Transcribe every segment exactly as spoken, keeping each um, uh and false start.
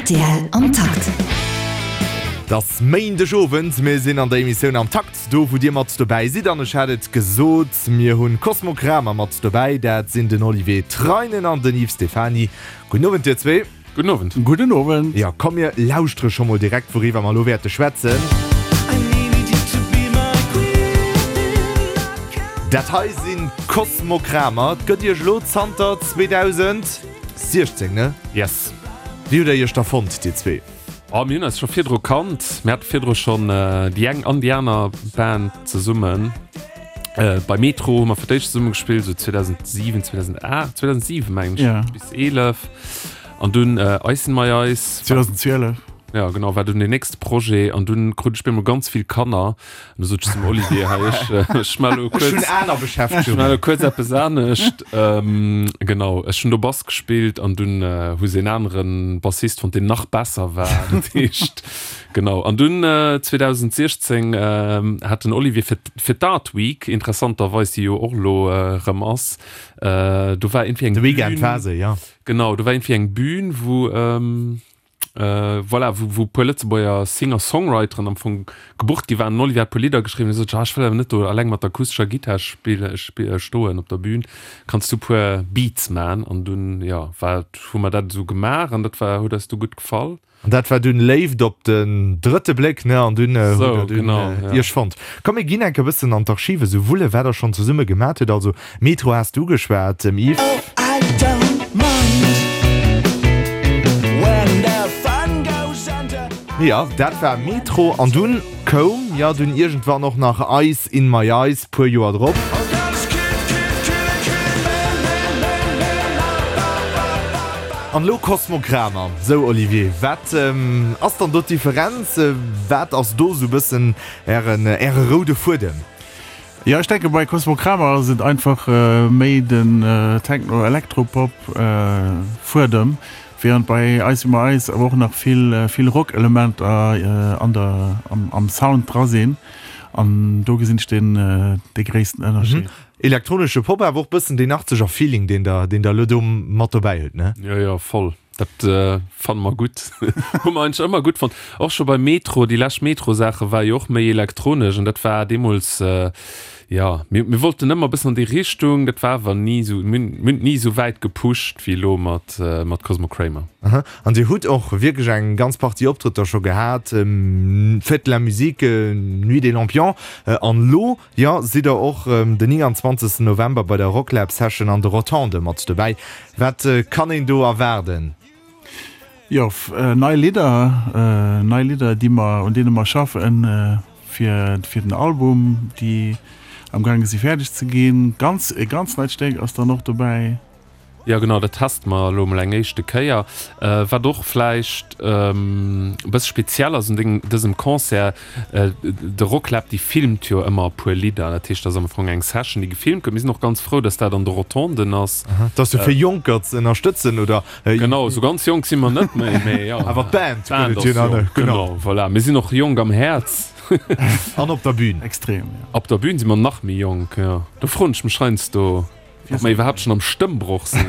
Rtl am Takt. Et ass Méindeg Owend, mir sinn an der Emissioun Am Takt, do wou dir mat dobäi sidd. An ech hat et gesot, mir hunn Cosmo Kramer mat dobäi, dat sinn den Olivier Treinen an den Yves Stephany. Gudden Owend dir zwee. Gudden Owend. Gudden Owend. Jo, komm mir lauschtere scho mol direkt wouriwwer mer elo wäerte schwätzen. Dat hei sinn Cosmo Kramer. Et gëtt iech elo zanter zweedausendsiechzéng, ne? Yes. Wéi hutt der iech da fonnt, dir zwee? Oh, mir hunn eis scho virdru kannt. Mir hate virdru schonn déi eng an déi aner Band zesummen. Bei Metro hu mer fir d'éischt zesumme gespillt, esou zweedausendsiwen, zweedausendaacht, zweedausendsiwen mengen ech, Ja. bis eelef. An dunn Ice in My Eyes. zweedausendZwielef. Ja, genau, war dunn deen nächste Projet. An dunn krut ech bemol ganz vill Kanner. An du sot ech zum Olivier, hei, ech, ech maache lo Ech hunn kuerz, aner ech maache Beschäftegungen. lo kuerz eppes anescht. Ähm, genau, ech hunn do Bass gespillt an dunn hu se en anere Bassist fonnt, deen nach besser war. Dat heescht, genau. An dunn zweedausendsechzéng hat den Olivier fir, fir d'Art Week, interessanterweis, déi jo och elo erëm ass, do war iergendwéi eng De Weekend Bühn. war se, jo. Genau, do war iergendwéi eng Bühn, wou, voilà, wou, wou e puer Lëtzebuerger Singer-Songwriteren am Fong gebucht gi waren. Den Olivier hat e puer Lidder geschriwwen. Hie sot, ah, ech wëll awer net do eleng mat der akustescher Gittar spille, stoen op der Bühn. Kanns du e puer Beats man? An dunn, jo, war, hu mer dat esou gemaach an dat war, huet eis du gutt gefall. An dat war dunn Léift op den drëtte Bléck, ne? An dunn hutt So, der dunn genau, ja. iech fonnt. Komm, mir ginn enk e bëssen an d'Archive sou wullen, wat der schonn zesumme gemat hutt. Also, Metro has du ugeschwat, Yves. Jo, dat war Metro. An dunn koum jo dunn iergendwann och nach Ice in my eyes, puer Joer drop. An elo Cosmo Kramer. Sou Olivier, wat ass dann do d'Differenz? Wat ass do sou bëssen ären, äre roude Fuedem? Jo, ech denke bei Cosmo Kramer ass et einfach méi den Techno-Elektropop Fuedem, während bei Ice in My Eyes awer och nach vill vill Rock-Elementer an der am Sound dra sinn an do gesinn ech den dee gréissten Ënnerscheed. Elektronesche Pop, awer och bëssen deen achtzeger Feeling, deen der deen der elo do mat dobäi hutt, ne? Jo, jo, voll. Dat fanne mer gutt. Hu mer eigentlech ëmmer gutt fonnt. Och scho bei Metro, déi lescht Metro-Saache war jo och méi elektronesch an dat war deemools, jo, mir, mir wollten ëmmer e bëssen an déi Richtung, dat war awer ni esou, mir hunn, mir hunn et ni esou wäit gepusht wéi elo mat, mat Cosmo Kramer. Aha. An Dir hutt och wierklech eng ganz Partie Optrëtter scho gehat, Fête de la musique, Nuit des Lampions an elo, jo, sidd Der och den nénganzwanzegsten November bei der Rocklab Session an de Rotonde mat dobäi. Wat kann een do erwaarden? Jo, nei Lidder, nei Lidder, déi mer, un deene mer schaffen fir, fir den Album, déi am gaange si fäerdeg ze ginn. Ganz, e ganz neit Stéck ass dann och dobäi. Jo genau, dat teste mer elo emol eng éischte Kéier. Wat och vläicht e bësse speziell ass un dengem, dësem Concert, de Rocklab déi filmt jo ëmmer e puer Lidder. Dat heescht, dat ass am Fong eng Session, déi gefilmt gëtt. Mir sinn och ganz frou, datt dat an de Rotonden ass. Dat ass jo fir Jonker ze ënnerstëtzen, oder? Genau, esou ganz jonk si mer net méi, mee jo. Awer d'Band gëtt et jo nach, ne? Genau, voilà. Mir sinn och jonk am Häerz. An op der Bühn. Extrem, jo. Op der Bühn si mer nach méi jonk, jo. Do froen ech mech heiansdo. Ob mer iwwerhaapt schon am Stëmmbroch sinn.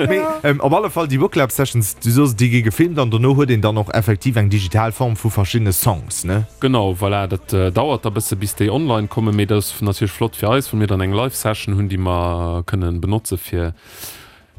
Mee op alle Fall, déi Wooklab Sessions, du soos, déi gi gefilmt an dono huet een dann och effektiv eng digital Form vu verschiddene Songs, ne? Genau, voilà, dat dauert da bësse bis déi online kommen, mee dat ass natierlech flott fir eis, well mir dann eng Live Session hunn, déi mer kënnen benotze fir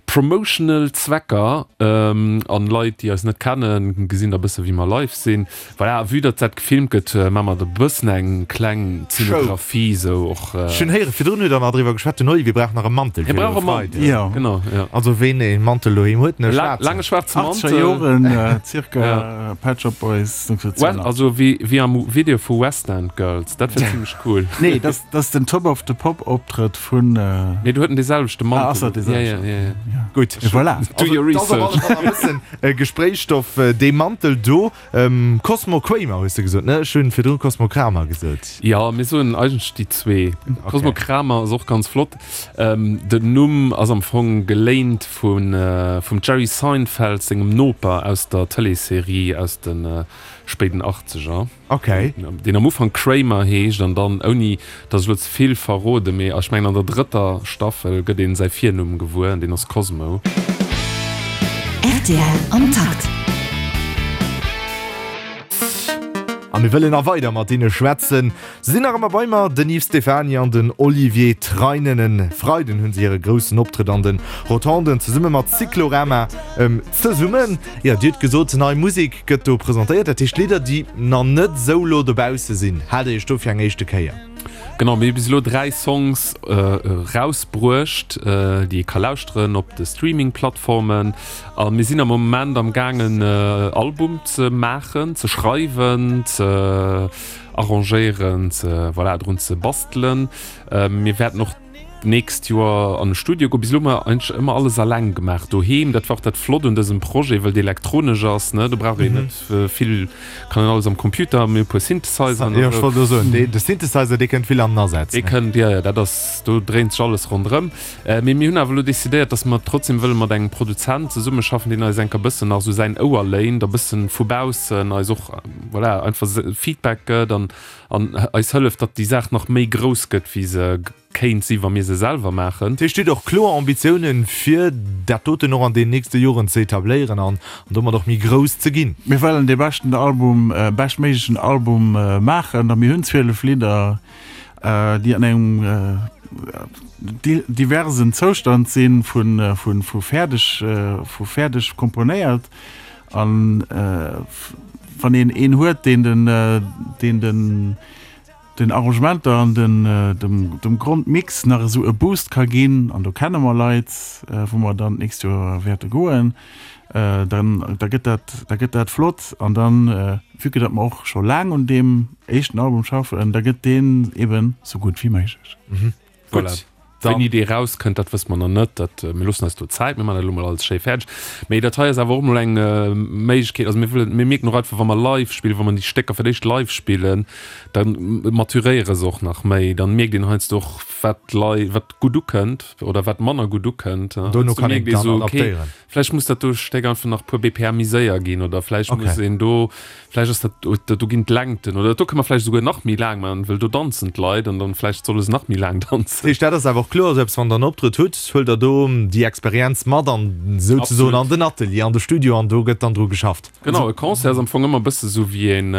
promotional Zwecker, an Leit, déi eis net kennen, gesinn da bësse wéi mer live sinn. Voilà, vue datt dat gefilmt gëtt, maache mer da bëssen eng kleng Zeenografie sou och. Ech hunn héieren, virdrun hutt der nach driwwer geschwat, den Olivier brauch nach e Mantel Hie fir de brauch e Mantel, Freiden. Jo. Genau, jo. Also ween e Mantel doheem huet, ne, schwaarzen. Laange schwaarze Mantel. Achtzeger Joren, circa, Pet Shop Boys, Well, also wéi, wéi am Video vu West End Girls, dat wär zimmlech cool. Nee, dat ass den Top of the Pop Optrëtt vun. Nee, do huet en dee selwechte Mantel. Ah, ass dat dee selwechten? Ja, ja, ja, ja. Gutt. Voilà. Do your Also, dat ass op research. alle Fall e bëssen Gespréichsstoff, dee Mantel do. Cosmo Kramer hues de gesot, ne? Ech hunn virdrun Cosmo Kramer gesot. Jo, mir soen eigentlech déi zwee. Okay. Cosmo Kramer ass och ganz flott. Den Numm ass am Fong geléint vun, vum Jerry Seinfeld sengem Noper aus der Tëleesserie aus de spéiden Achtzeger. Okay. Deen am Ufank Kramer heescht an dann, ouni datt ech elo ze vill verrode, mee ech mengen an der drëtter Staffel gëtt een säi Virnumm gewuer an deen ass Cosmo. Rtl am Takt. A mir wëllen nach weider mat hinne schwätzen. Se sinn nach ëmmer bei mer, den Yves Stephany an den Olivier Treinen. E Freiden hunn se hire groussen Optrëtt an de Rotonden zesumme mat Cyclorama zesummen. Jo, Dir hutt gesot, nei Musek gëtt do presentéiert. Dat heescht Lidder, déi nach net esou lo dobausse sinn. Haalt Dir iech do fir eng éischte Kéier? Genau, mir hu bis elo dräi Songs erausbruecht, déi ee ka lauschteren op de Streaming-Plattformen. A mir sinn am Moment am gaangen e Album ze maachen, ze schreiwen, ze arrangéieren, ze, voilà, drun ze bastelen. Mir wäerten och d'nächst Joer an e Studio goen. Bis elo hu mer eigentlech ëmmer alles alleng gemaach doheem. Dat war och dat Flott un dësem Projet, wëll et elektronesch ass, ne, do brauch een net vill, kann een alles am Computer, mir hu e puer Synthesizern. Jo, ech wollt elo soen, de Synthesizer, dee kënnt vill an den Asaz. Dee kënnt, jo, jo, dat ass, do dréint sech alles ronderëm. Mee mir hunn awer elo decidéiert, datt mer trotzdem wëlle mat engem Produzent zesummeschaffen, deen eis enker bëssen nach esou säin Ouer léint a bëssen vu baussen eis och, voilà, einfach Feedback gëtt an an eis hëlleft, datt déi Saach nach méi grouss gëtt, wéi se kéint sinn, wa mir se selwer maachen. Dat heescht, Dir hutt och kloer Ambitiounen, fir dat doten och an den nächste Joren ze etabléieren an domat och méi grouss ze ginn? Mir wëllen dee beschten Album, beschtméiglechen Album maachen a mir hunn zwielef Lidder, déi an engem diversen Zoustand sinn, vu fäerdeg, vu fäerdeg komponéiert. An wann een een huet, deen den, deen den, den Arrangementer an den, dem, dem Grondmix nach esou e Boost ka ginn, an do kenne mer Leit, wou mer dann d'nächst Joer wäerte goen, dann, da gëtt dat, da gëtt dat flott. An dann, vue que datt mer och scho laang un deem éischten Album schaffen, da gëtt deen eben esou gutt wéi méiglech. Voilà. Wéini dee rauskënnt, dat wësse mer nach net. Dat, mir loossen eis do Zäit, mir maachen dat elo mol alles schéi fäerdeg. Mee dat hei ass awer och mol eng Méiglechkeet. Also mir wëllen, mir mierken och einfach, wa mer live spillen, wa mer déi Stécker fir d'éischt live spillen, da maturéiere se och nach méi. Dann mierkt een heiansdo och, wat d'Lei, wat gutt ukënnt oder wat manner gutt ukënnt. Dono kann een dann dann adaptéieren. Vläicht muss dat do Stéck einfach nach e puer B P M méi séier ginn oder vläicht muss een do, vläicht ass dat do, do ginn d'Längten oder do kënne mer vläicht esouguer nach méi laang maachen, well do danzen d'Leit an dann vläicht solle se nach méi laang danzen. Dat heescht, dat ass awer och kloer esou eppes, wann Der en Optrëtt hutt, huelt Der do déi Experienz mat an souzesoen an den Atelier, an de Studio an do gëtt dann dru geschafft? Genau, e Concert ass am Fong ëmmer e bësse sou wéi een,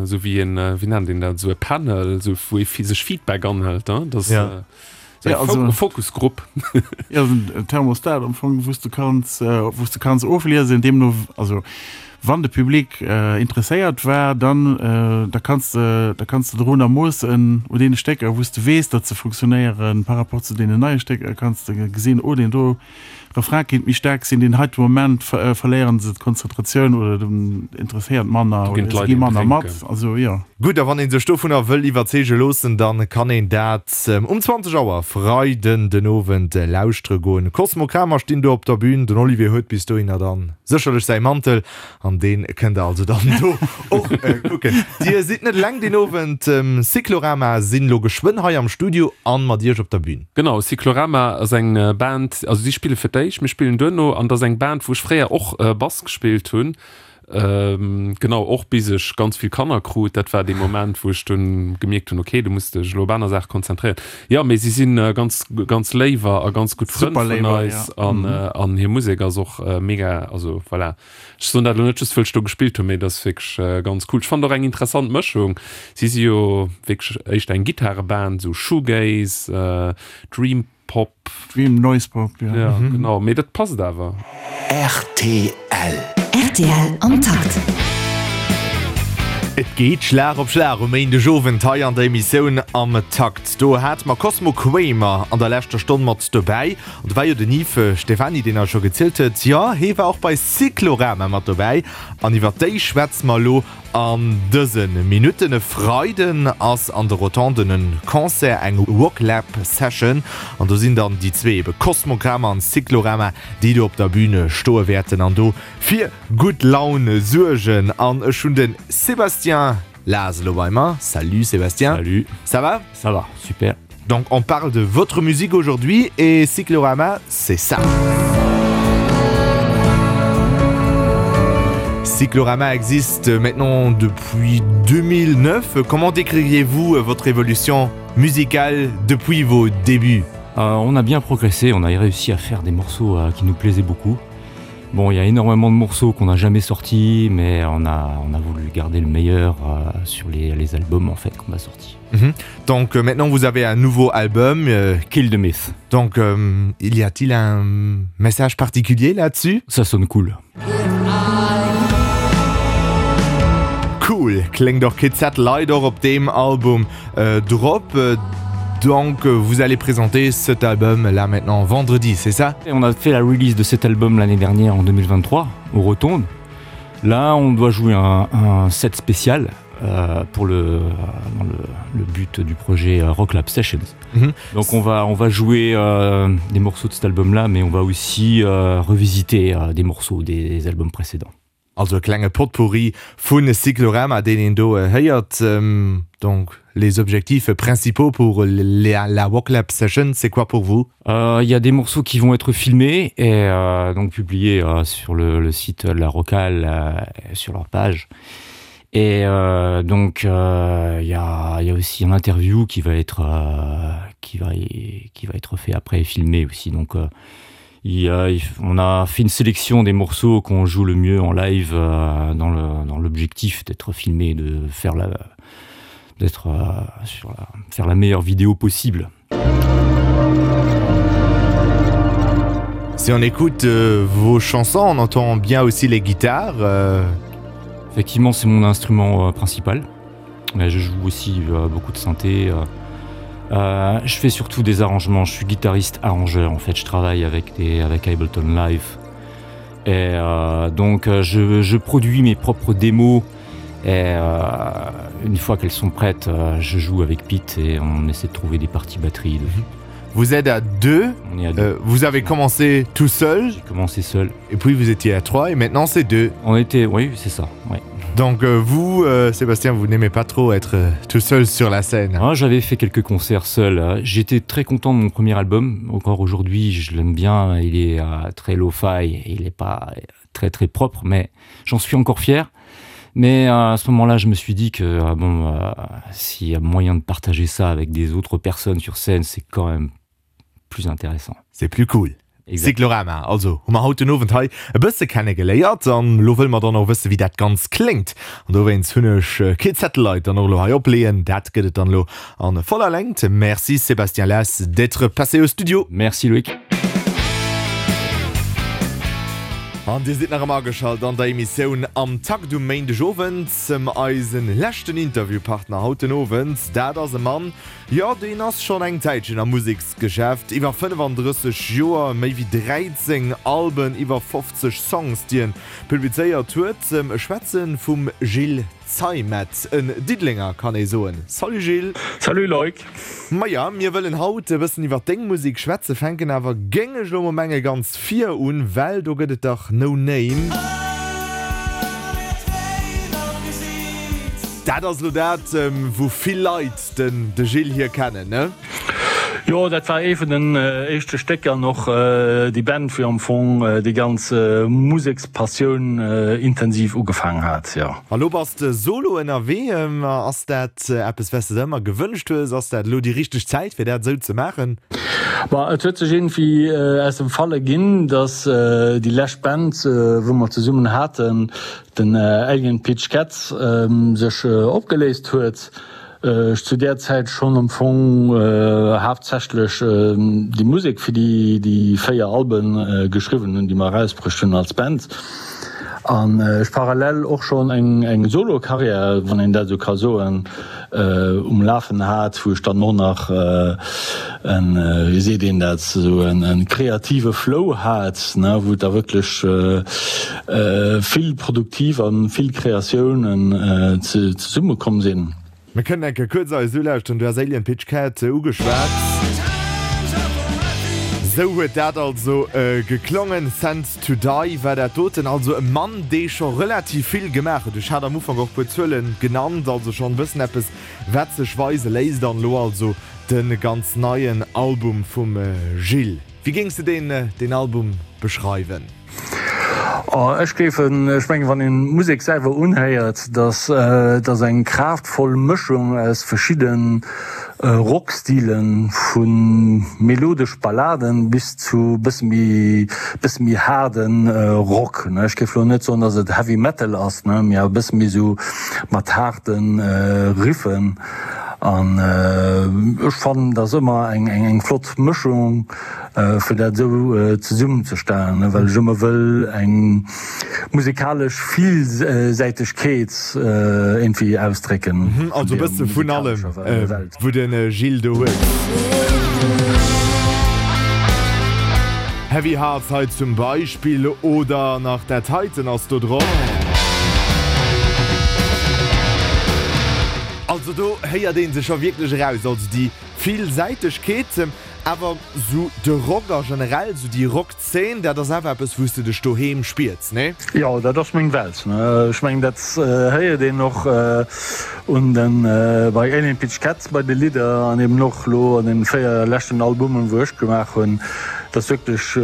esou wéi een, wéi nennt een dat, esou e Panel, esou wou ee sech Feedback anhëlt, dass. Ja, also, Fokusgrupp. Ja, en Thermostat am Fong, wou s du kanns, wou s du kanns ofliesen, deemno, also wann de Public interesséiert war, dann, da kanns de, da kanns de dorunner moossen, u deene Stécker, wou s de weess, datt se funktionéieren, par rapport zu deenen neie Stécker, kanns de gesinn, oh deen do Refrain kéint méi staark sinn, deen heite Moment verléieren se d'Konzentratioun oder den interesséiert manner Do ginn oder se d'Leit gi een manner mat, drénken. also jo. Gutt, a wann ee sech dovunner wëll iwwerzeege loossen, da kann een dat um zwanzeg Auer Freiden den Owend lauschtere goen. Cosmo Kramer stinn do op der Bühn, den Olivier huet bis dohinner dann sécherlech säi Mantel an dee kënnt der also dann do och kucken. Dir sidd net eleng deen Owend, Cyclorama sinn elo geschwënn hei am Studio an mat iech op der Bühn. Genau, Cyclorama ass eng Band, also si spille fir d'éischt, mir spillen duerno an et ass eng Band, wou ech fréier och Bass gespillt hunn. Genau, och bis ech ganz vill Kanner krut. Dat war dee Moment, wou ech dunn gemierkt hunn, okay, du muss dech elo op aner Saache konzentréieren. Jo, mee si si ganz, ganz léiwer a ganz gutt Frënn vun eis an, an hir Musek ass och mega. Also voilà, ech soen dat elo net just, wëll ech do gespillt hunn, mee dat ass wierklech ganz cool. Ech fannen och eng interessant Mëschung. Si si jo wierklech éischter eng Gittareband, esou Shoegaze, Dream. Pop. Dream Noise Pop, jo. Ja, genau, mee dat passt awer. Rtl. Rtl am Takt. Et geet Schlag op Schlag um Méindegowend hei an der Emissioun Am Takt. Do hate mer Cosmo Kramer an der leschter Stonn mat dobäi. An do war jo den Yves Stephany, deen eis scho gezielt huet, jo, hee war och bei Cyclorama mat dobäi. An iwwer déi schwätze mer elo An dëse Minutten, e Freiden ass an de Rotonden en Concert, eng Rocklab Session an do sinn dann déi zwee ebe Cosmograma an Cyclorama, déi do op der Bühne stoe wäerten an do fir gutt Laun suergen. An ech hunn de Sébastien Laas elo bei mer. Salut Sébastien. Salut. Ça va? Ça va, super. Donc on parle de votre musique aujourd'hui et Cyclorama c'est ça. Cyclorama existe maintenant depuis deux mille neuf. Comment décririez-vous votre évolution musicale depuis vos débuts? Euh, on a bien progressé, on a réussi à faire des morceaux euh, qui nous plaisaient beaucoup. Bon, il y a énormément de morceaux qu'on n'a jamais sortis, mais on a, on a voulu garder le meilleur euh, sur les, les albums en fait qu'on a sortis. Mhm. Donc euh, maintenant vous avez un nouveau album euh, Kill the Myth. Donc euh, il y a-t-il un message particulier là-dessus? Ça sonne cool. Cool kléngt och Kid Satellite och op deem Album äh, drop. Äh, donc euh, vous allez présenter cet album là maintenant vendredi, c'est ça? Et on a fait la release de cet album l'année dernière en deux mille vingt-trois au Rotonde. Là on doit jouer un, un set spécial euh, pour le, dans le, le but du projet euh, Rock Lab Sessions. Mhm. Donc on va, on va jouer euh, des morceaux de cet album là, mais on va aussi euh, revisiter euh, des morceaux des, des albums précédents. Also e klenge Potpourri vun Cyclorama, deen een do héiert. Donc les objectifs principaux pour la, la Rock Lab Session, c'est quoi pour vous? Euh, il y a des morceaux qui vont être filmés et euh, donc publiés euh, sur le, le site de la Rockhal, euh, sur leur page. Et euh, donc, euh, il y a, il y a aussi un interview qui va être, euh, qui va, qui va être fait après et filmé aussi. Donc, euh, il y a, il f-, on a fait une sélection des morceaux qu'on joue le mieux en live, euh, dans le, dans l'objectif d'être filmé, de faire la, d'être, euh, sur la, faire la meilleure vidéo possible. Si on écoute, euh, vos chansons, on entend bien aussi les guitares. Euh... Effectivement, c'est mon instrument, euh, principal. Mais je joue aussi, euh, beaucoup de synthé. Euh, euh, je fais surtout des arrangements. Je suis guitariste arrangeur. En fait, je travaille avec des, avec Ableton Live. Et, euh, donc, euh, je, je produis mes propres démos. Et, euh, une fois qu'elles sont prêtes, euh, je joue avec Pete et on essaie de trouver des parties batterie dessus. Vous êtes à deux. On est à deux. Euh, vous avez commencé tout seul. J'ai commencé seul. Et puis vous étiez à trois et maintenant c'est deux. On était, oui, c'est ça. Ouais. Donc, euh, vous, euh, Sébastien, vous n'aimez pas trop être, euh, tout seul sur la scène. Ah, j'avais fait quelques concerts seul. J'étais très content de mon premier album. Encore aujourd'hui, je l'aime bien. Il est, euh, très lo-fi. Il n'est pas très, très propre, mais j'en suis encore fier. Mais, euh, à ce moment-là, je me suis dit que, euh, bon, euh, s'il y a moyen de partager ça avec des autres personnes sur scène, c'est quand même plus intéressant. C'est plus cool. Exact. Cyclorama, also hu mer haut den Owend hei e bësse kennegeléiert an lo wëll mer dann och wësse, wéi dat ganz kléngt. An dowéinst hunn ech, äh, Kid Satellite dann och lo hei opleeën. Dat gëtt et dann lo an voller Längt. Merci Sébastien Less d'être passé au studio. Merci Loïc. An Dir sidd nach ëmmer ageschalt an der Emissioun am Takt um Méindegowend. Eisen leschten Interviewpartner haut den Owend, dat ass e Mann, jo, deen ass schonn eng Zäitchen am Museksgeschäft. Iwwer fënnefandrësseg Joer, méi wéi dräizéng Alben, iwwer fofzeg Songs, déi en publizéiert huet. Ech schwätzen vum Gilles Zeimet, en Diddelenger kann ee soen. Salut Gilles. Salut Loïc. Maja, mir wëllen haut e bëssen iwwer deng Musek schwätzen, fänken awer géing ech lo mol menge ganz vir un, well do gëtt et dach No Name. Dat ass lo dat, ähm, wou vill Leit den, de Gilles hier kennen, ne? Jo, dat war ee vun den, äh, éischte Stécker noch, äh, déi Band, wéi am Fong, äh, déi ganz, äh, Musekspassioun, äh, intensiv ugefaangen hat, ja. Hallo, bass de solo ënnerwee, ähm, ass dat, äh, eppes, was du dir ëmmer gewënscht hues? Ass dat lo déi richteg Zäit, fir dat sou ze maachen? Ba, et huet sech irgendwie, äh, aus dem Falle ginn, dass, äh, déi lescht Band, äh, wou mer zesummen haten, den, äh, Alien Peach Cats, ähm, sech, äh, opgeléist huet. Äh, ech zu der Zäit schonn am Fong, äh, haaptsächlech, äh, déi Musek fir déi, déi véier Alben, äh, geschriwwen hunn, déi mer erausbruecht hunn als Band. An, äh, ech parallel och schonn eng, eng Solo-Karriär, wann een dat sou ka soen, äh, um Lafen hat, wou ech dann och nach, äh, en, äh, wéi seet een dat, sou en, en kreative Flow hat, ne, wou da wierklech, äh, äh, vill produktiv an vill Kreatiounen, äh, ze-, zesummekomm sinn. Mir kënnen enke kuerz eis ulauschteren, du has Alien Pitch Cat ugeschwat. Sou huet dat also, äh, geklongen. Sent to Die war dat doten, also e Mann, dee scho relativ vill gemaach huet. Ech hat am Ufank och puer Zuelen genannt, also schonn bëssen eppes, wat sech weise léisst. An lo also de ganz neien Album vum, äh, Gilles. Wéi géings de den, äh, den Album beschreiwen? Oh, ech géifen, ech mengen, wann een d'Musek selwer unhéiert, dass et ass eng kraaftvoll Mëschung aus verschidde Rockstilen, vu melodesch Balladen bis zu bësse méi, bësse méi haarde Rock. Ech géif elo net soen, dass et Heavy Metal ass, mee awer e bësse méi esou mat haarde Riffen. An ech fannen, dat ass ëmmer eng, eng flott Mëschung, fir dat esou zesummenzestellen, well ech ëmmer wëll eng musikalesch Villsäitegkeet iergendwéi ausdrécken. Also e bësse vun allem, wou de Gilles do huet. Heavy Hearts hei zum Beispill, oder nach dat heiten ass do drop. Also do héiert een se scho wierklech eraus, also déi Villsäitegkeet. Awer sou de Rock a generell sou déi Rock-Zeen, dat ass awer eppes wou s de dech doheem spiers, nee? Jo, dat ass meng Welt. Ech mengen dat héiert een och un den, bei Alien Peach Cat bei de Lidder an eben och lo an den véier leschten Albumen wou ech gemaach hunn, dass wierklech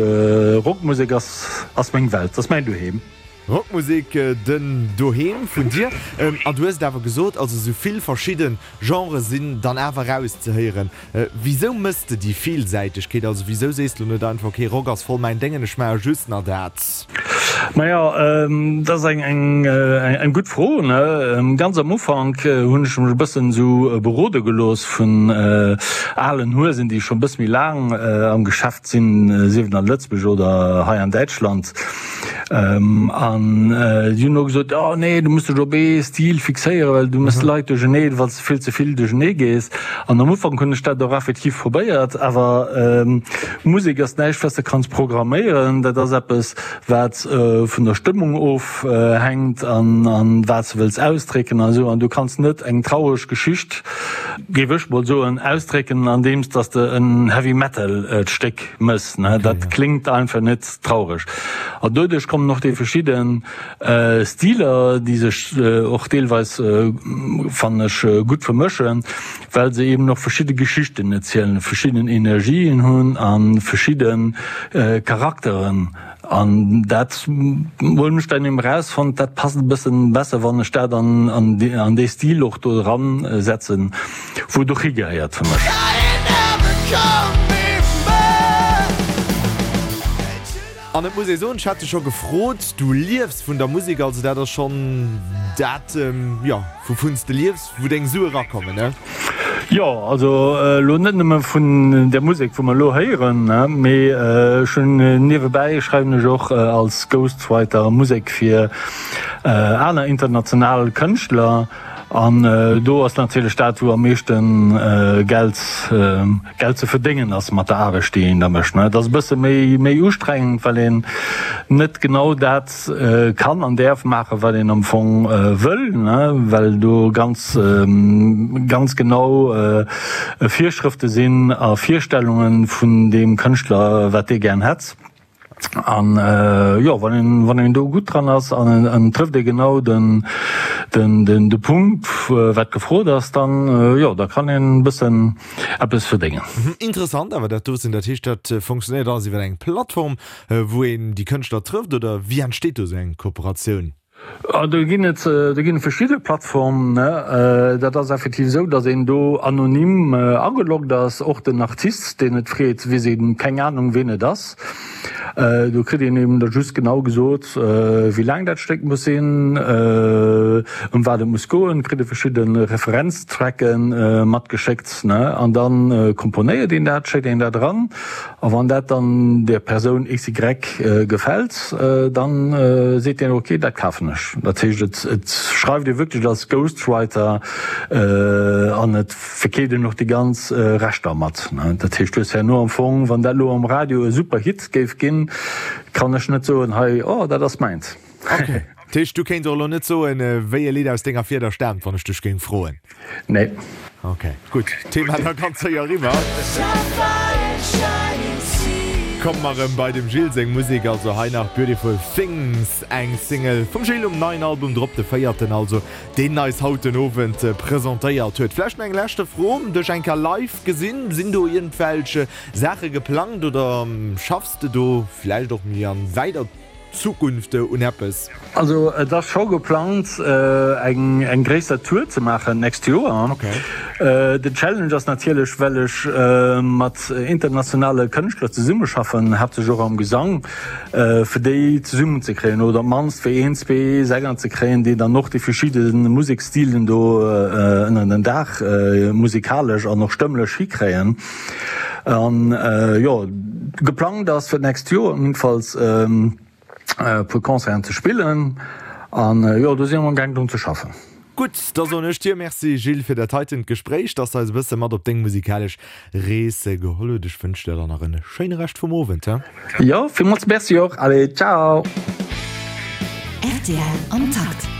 Rockmusek ass, ass meng Welt, ass mäin Doheem. Rockmusek, den Doheem vun dir. An du hues et awer gesot, also esou vill verschidde Genrë sinn dann awer erauszehéieren. Wisou mëss de déi Villsäitegkeet? Also wisou sees de lo net einfach, ok, Rock ass voll mäin Déngen, ech maache just nach dat? Majo, dat ass eng gutt Fro. Ganz am Ufank hunn ech mech e bëssen esou berode gelooss vun alen Huesen, déi scho e bësse méi laang am Geschäft sinn, sief et an Lëtzebuerg oder hei an Däitschland. An déi hunn elo gesot, oh nee, du muss dech op ee Stil fixéieren, well du méchs d'Leit duerchernee, wann s de vill ze vill duerchernee gees. An am Ufank hunn ech dat och effektiv probéiert, awer Musek ass näischt, wat s de kanns programméieren. Dat ass eppes, wat vun der Stëmmung ofhänkt an wat s de wëlls ausdrécken a sou. An du kanns net eng traureg Geschicht, géif ech mol soen, ausdrécken, andeems dass de en Heavy Metal Stéck mëss. Dat kléngt einfach net traureg. An doduerch kommen och déi verschidde Stiler, déi sech och deelweis, fannen ech, gutt vermëschen, well se eben och verschidde Geschichten erzielen, verschidden Energien hunn a verschidde Charakteren. An dat hunn ech dann eben erausfonnt, dat passt e bëssen besser, wann ech dat an dee Stil och do eran setzen, wou et och higehéiert fir mech. An et muss ee soen, ech hat dech scho gefrot, du liefs vun der Musek, also dat ass schonn dat, jo, wouvun s de liefs, wou deng Sue erakommen, ne? Jo, also elo net nëmme vun där Musek, wou mer elo héieren, mee ech hunn niewebäi schreiwen ech och als Ghostwriter Musek fir aner international Kënschtler. An do ass natierlech dat, wou am meeschte Geld Geld ze verdéngen ass mat der Aarbecht, déi een da mécht. Et ass e bësse méi méi ustrengend, well een net genau dat kann an däerf maachen, wat een am Fong wëll, well do ganz ganz genau Virschrëfte sinn a Virstellunge vun deem Kënschtler, wat dee gären hätt. An jo, wann een, wann een do gutt dran ass an en trëfft ee genau den, den, den, de Punkt, wat gefrot ass, dann jo, da kann een e bëssen eppes verdéngen. Interessant awer dat doten. Dat heescht, dat funktionéiert alles iwwer eng Plattform, wou een déi Kënschtler trëfft, oder wéi entsteet do esou eng Kooperatioun? Do ginn et, do ginn et verschidde Plattformen. Dat ass effektiv esou, datt een do anonym ageloggt ass. Och den Artist, deen et freet, weess eben keng Anung, ween et ass. Do kritt een eben da just genau gesot, wéi laang dat Stéck muss sinn, ëm wat et muss goen, kritt e verschidde Referenztracke matgeschéckt, an da komponéiert een dat, schéckt een dat eran. A wann dat dann der Persoun XY gefält, dann seet deen, ok, dat kafen ech. Dat heescht, et et schreift ee wierklech als Ghostwriter an et verkeeft een och déi ganz Rechter mat. Dat heescht, du hues herno am Fong, wann dat elo am Radio e super Hit géif ginn, kann ech net soen, hei, oh, dat ass mäins. Ok. Dat heescht, du kéints och elo net soen, wéi e Lidd aus denger Fieder staamt, wann ech dech géing froen? Nee. Ok, gutt. Thema da ganz séier eriwwer. Komme mer erëm bei dem Gilles seng Musek, also hei nach Beautiful Things, eng Single vum Gilles um neien Album drop, de véierten also, deen eis haut den Owend presentéiert huet. Vläicht nach eng leschte Fro, dech eng Kéier live gesinn, sinn do iergendwelch Saache geplangt oder schaffs de do vläicht och méi an wäiter Zukunft un eppes? Also et ass scho geplangt eng eng gréisser Tour ze maachen d'nächst Joer. Den Challenge ass natierlech, well ech mat internationale Kënschtler zesummeschaffen, haaptsächlech och am Gesang, fir déi zesummen ze kréien oder op d'mannst fir een, zwee Sänger ze kréien, déi dann och déi verschidde Museksstilen do ënner den Daach musikalesch an och stëmmlech hikréien. An jo, geplangt ass fir d'nächst Joer jedenfalls e puer Concerten ze spillen an jo, do si mer amgaang drun ze schaffen. Gutt, da soen ech dir Merci Gilles fir dat heitent Gespréich, dass de eis e bësse mat op deng musikalesch Rees geholl huet. Ech wënsch der dann nach en schéine Rescht vum Owend. Jo, villmools Merci och. Allez, ciao! Rtl am Takt.